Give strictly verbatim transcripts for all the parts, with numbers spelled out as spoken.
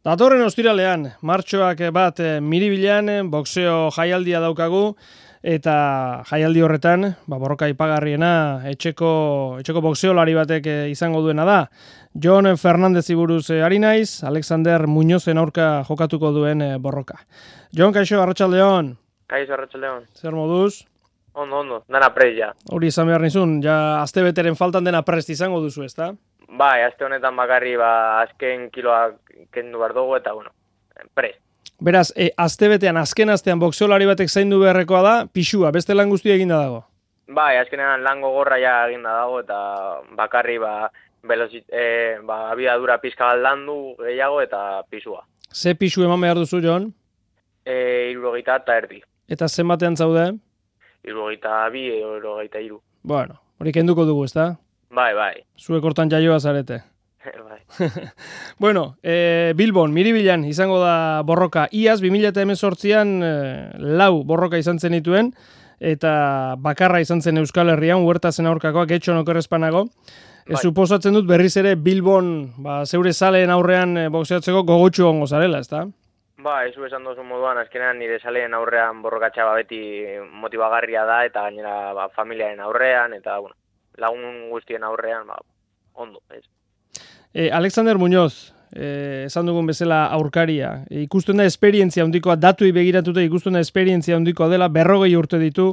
Datorren ostiralean, martxoak bat miribilan, boxeo jaialdia daukagu, eta jaialdi horretan, ba, borroka ipagarriena, etxeko, etxeko boxeolari batek izango duena da. Jon Fernandez buruz ari naiz, Alexander Muñozen aurka jokatuko duen borroka. Jon, kaixo, arratsaldeon. Kaixo, arratsaldeon. Zer moduz? Ondo, ondo, dana prest ja. Hori izan behar nizun, ja azte beteren faltan dena prest izango duzu, ezta? Bai, azte honetan bakarri, ba, azken kiloak kendu behar dugu, eta, bueno, prest. Beraz, e, azte betean, azken astean boxeolari batek zaindu beharrekoa da, pixua, beste lan guztia eginda dago. Bai, azkenean lango gorra ja eginda dago, eta bakarri, ba, velozit, e, ba, abiadura pizka bat landu gehiago, eta pisua. Ze pixu eman behar duzu, Jon? E, irurogeita eta erdi. Eta zenbatean zaude? Irurogeita bi, irurogeita iru. Bueno, hori kenduko dugu, ezta? Bai, bai. Zuek hortan jaioa zarete. Bai. Bueno, e, Bilbon, Miribilan izango da borroka. Iaz, bi mila hemezortzian e, lau borroka izan zen dituen, eta bakarra izan zen Euskal Herrian, huertazen aurkakoak, etxon okerrezpanago. E, Bai. Suposatzen dut berriz ere Bilbon, ba, zeure zaleen aurrean e, boxeatzeko gogotsu ongo zarela, ezta? Ba, ez esan dozu moduan, azkenean nire zaleen aurrean borrokatxa ba, beti motibagarria da, eta gainera ba, familiaren aurrean, eta bueno, lagun guztien aurrean, ba, ondo, ez. E, Alexander Muñoz, e, esan dugun bezala aurkaria, e, ikusten da esperientzia handikoa, datuei begiratuta ikusten da esperientzia handikoa dela, berrogei urte ditu,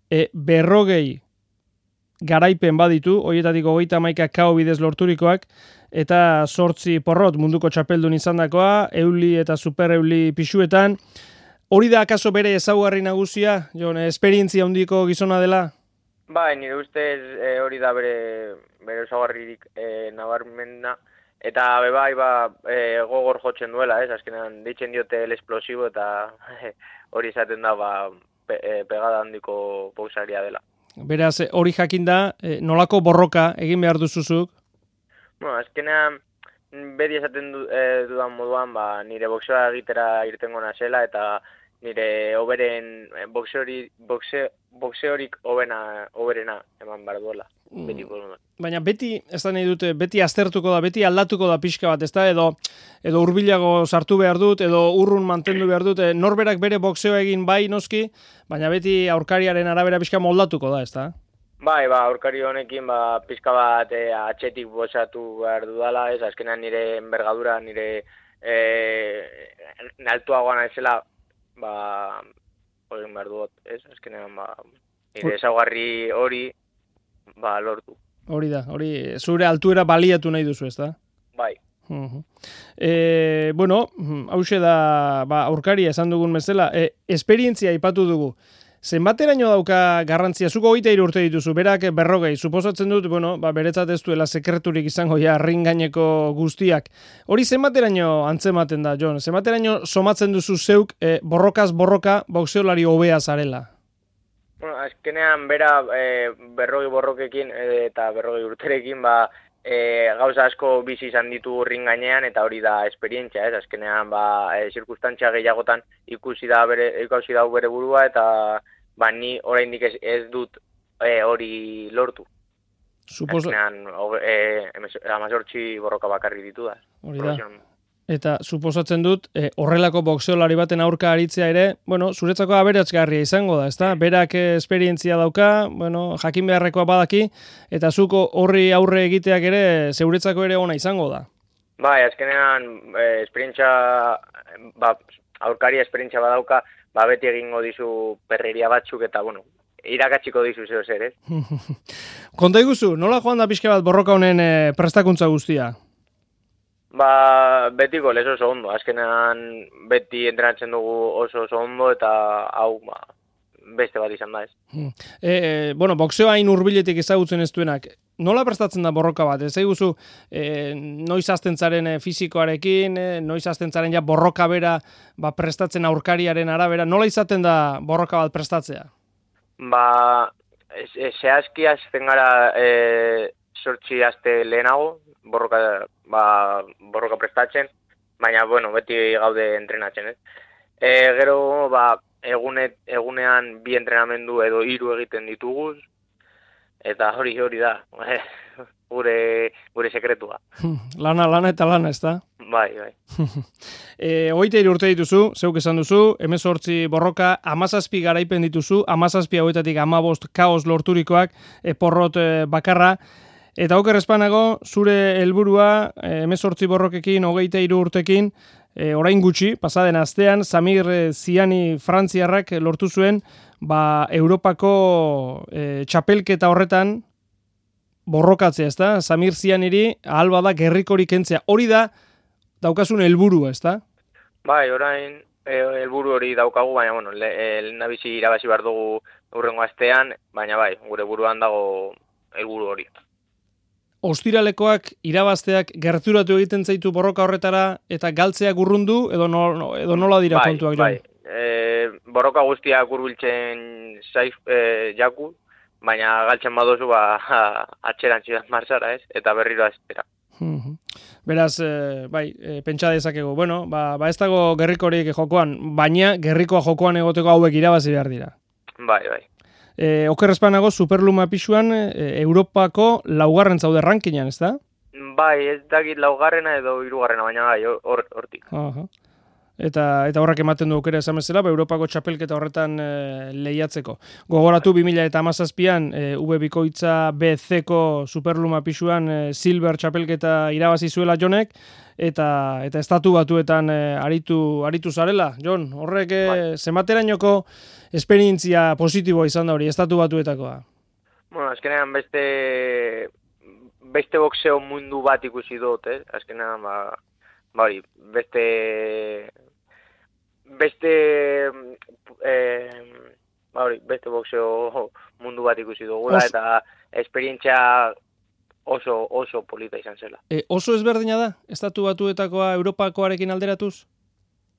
e, berrogei garaipen baditu, horietatik hogeita hamaika kao bidez lorturikoak, eta zortzi porrot munduko txapeldun izandakoa, euli eta super euli pixuetan. Hori da akaso bere ezaugarri nagusia, Jon, esperientzia handiko gizona dela? Bai, nire ustez e, hori da bere, bere ezaugarririk e, nabarmena, eta bebai ba, e, gogor jotzen duela, ez? Azkenean deitzen diote el explosivo, eta hori izaten da ba, pe, e, pegada handiko boxaria dela. Beraz, hori jakin da, e, nolako borroka egin behar duzuzuk? Bueno, azkenean beti esaten du, e, dudan moduan, ba, nire boxeoa egitera irtengo nazela, eta nire oberen boxeori, boxe, boxeorik obena, oberena eman behar duela. Beti mm. Baina beti, ez da nahi dute, beti aztertuko da, beti aldatuko da pixka bat, ez da, edo, edo hurbilago sartu behar dut, edo urrun mantendu behar dut, norberak bere boxeoa egin bai noski, baina beti aurkariaren arabera pixka moldatuko da, ez da? Bai, ba, aurkari honekin, ba, pixka bat e, atxetik boxatu behar dudala, ez, azkenean nire envergadura, nire e, altuagoan naizela, ba, hori behar dut, ez, azkenean, ba, nire ezaugarri hori, ba, lortu. Hori da, hori, zure altuera baliatu nahi duzu, ez da? Bai. Uh-huh. E, bueno, hause da, ba, aurkaria esan dugun bezala, e, esperientzia ipatu dugu. Zenbateraino dauka garrantzia? Zuko hogeita hiru urte dituzu, berak berrogei, suposatzen dut, bueno, ba, beretzat ez duela sekreturik izango ja ringaineko guztiak. Hori zenbateraino antzematen da, Jon? Zenbateraino somatzen duzu zeuk e, borrokaz borroka boxeolari hobea zarela? Bueno, azkenean bera e, berrogei borrokekin e, eta berrogei urterekin, ba, e, gauza asko bizi izan ditu ringainean, eta hori da esperientzia, ez? Azkenean, ba, e, zirkustantzia gehiagotan ikusi da bere, ikusi da bere burua, eta ba, ni oraindik ez, ez dut e, hori lortu. Suposo... Azkenean, e, amazortzi borroka bakarri ditu da. Hori da. Eta suposatzen dut, eh, horrelako boxeolari baten aurka aritzea ere, bueno, zuretzako aberatsgarria izango da, ezta? Berak esperientzia dauka, bueno, jakin beharrekoa badaki, eta zuko horri aurre egiteak ere, zeuretzako ere ona izango da. Bai, azkenean, eh, esperientzia, ba, aurkaria esperientzia badauka, ba, beti egingo dizu perreria batzuk, eta, bueno, irakatsiko dizu zeo zer, ez? Konta iguzu, nola joan da pixka bat borroka honen eh, prestakuntza guztia? Ba, betiko lez oso ondo, azkenean beti entrenatzen dugu oso oso ondo, eta hau, ba, beste bat izan da ez. E, e, bueno, boxeoa hain hurbiletik ezagutzen ez duenak, nola prestatzen da borroka bat? Ez eguzu, e, noiz azten zaren e, fizikoarekin, e, noiz azten zaren ja borroka bera ba, prestatzen aurkariaren arabera, nola izaten da borroka bat prestatzea? Ba, zehazki azten gara e, sortzi azte lehenago, borroka, ba, borroka prestatzen, baina, bueno, beti gaude entrenatzen, ez? E, gero, ba, egune, egunean bi entrenamendu edo hiru egiten dituguz, eta hori hori da. gure, gure sekretua. Lana, lana eta lana, ez da? Bai, bai. e, Hogeita hiru urte dituzu, zeuk esan duzu, hemezortzi borroka, hamazazpi garaipen dituzu, hamazazpi hauetatik hamabost kaos lorturikoak, e, porrot e, bakarra, eta oker espanago, zure helburua hemezortzi borrokekin, hogeita hiru urtekin, e, orain gutxi, pasaden astean, Samir Ziani frantziarrak lortu zuen, ba, Europako e, txapelketa horretan, borrokatzea, ez da? Samir Zianiri ahal bada gerrikorik kentzea. Hori da, daukasun helburua, ez da? Bai, orain helburu hori daukagu, baina, bueno, lehendabizi irabazi behar dugu urrengo astean, baina bai, gure buruan dago helburu hori. Ostiralekoak irabazteak gerturatu egiten zaitu borroka horretara eta galtzeak urrundu, edo, no, edo nola dira bai, kontuak? Bai, e, borroka guztiak hurbiltzen zaiz e, jaku, baina galtzen badozu ba, atxeran zidan marzara, ez? Eta berriro aztera. Beraz, e, bai, e, pentsa dezakegu. Bueno, ba, ba ez dago gerrikorik jokoan, baina gerrikoa jokoan egoteko hauek irabazi behar dira. Bai, bai. E, oker espanago, Superluma pisuan e, Europako laugarren zaude rankinan, ez da? Bai, ez dakit laugarrena edo hirugarrena, baina bai, hortik. Aha. Eta eta horrek ematen du aukera esan bezala, ba, Europako txapelketa horretan e, lehiatzeko. Gogoratu bi mila hamazazpian e, U B bikoitza B C-ko Superluma pisuan e, Silver txapelketa irabazi zuela Jonek, eta eta estatu batuetan e, aritu aritu zarela. Jon, horrek e, bai. Zenbaterainoko esperientzia positiboa izan da hori, estatu batuetakoa? Bueno, azkenean beste beste boxeo mundu bat ikusi dut, eh? Azkenean, ba, ba hori, beste beste eh, ba hori, beste boxeo mundu bat ikusi dugula, Os... eta esperientzia oso oso polita izan zela. E, oso ezberdina da, estatu batuetakoa Europakoarekin alderatuz?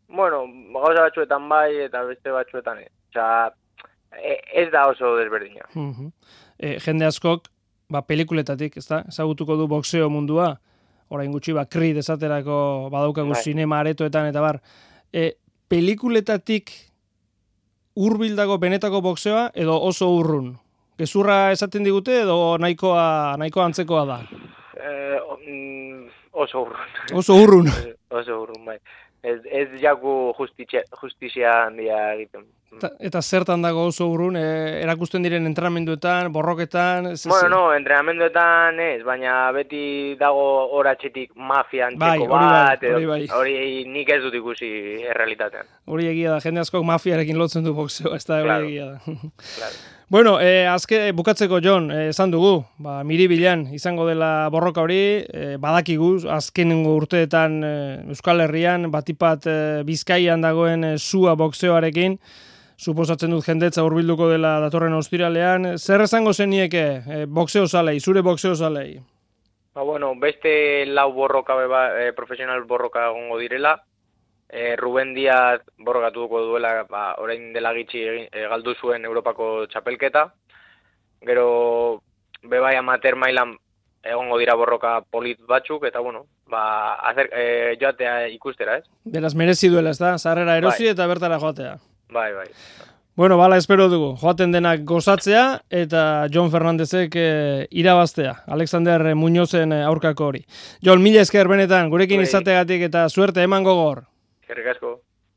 Bueno, gauza batzuetan bai, eta beste batzuetan ez. Osea, ez da oso desberdina. Uh-huh. E, jende askok, ba, pelikuletatik, ez da, ezagutuko du boxeo mundua, orain gutxi, ba, Creed esaterako badaukagu bai. Sinema aretoetan, eta bar, e, pelikuletatik hurbildago benetako boxeoa, edo oso urrun? Gezurra esaten digute, edo nahikoa, nahikoa antzekoa da? Eh, oso urrun. Oso urrun. Oso urrun, bai. Ez, ez jaku justizia, justizia handia egiten. Eta, eta zertan dago oso urrun, e, erakusten diren entrenamenduetan, borroketan? Ez, bueno, no, entrenamenduetan ez, baina beti dago horatxetik mafia antzeko bai, bat, bai, hori, bai. hori nik ez dut ikusi errealitatean. Hori egia da, jende askok mafiarekin lotzen du boxeo, ez da, hori claro. Egia da. Claro. Bueno, eh, azke bukatzeko Jon, eh, esan dugu, ba, miribilan izango dela borroka hori, eh, badakigu, azkenengo urteetan eh, Euskal Herrian, batipat eh, Bizkaian dagoen eh, sua boxeoarekin, suposatzen dut jendetza hurbilduko dela datorren ostiralean. Zer esango zenieke eh, boxeo zalei, zure boxeo zalei? Ba, bueno, beste lau borroka, beba, eh, profesional borroka gongo direla, E, Ruben Diaz borrokatuko duela, ba, orain dela gitxi e, galdu zuen Europako txapelketa. Gero bebai amater mailan egongo dira borroka polit batzuk, eta bueno, ba, azer, e, joatea ikustera, ez? Beraz, merezi duela, ez da? Zarrera erosi bai. Eta bertara joatea. Bai, bai. Bueno, bala, espero dugu. Joaten denak gozatzea, eta Jon Fernandezek e, irabaztea. Alexander Muñozen aurkako hori. Jon, mila esker benetan, gurekin bai. Izategatik eta suerte eman gogor. Eskerrik asko.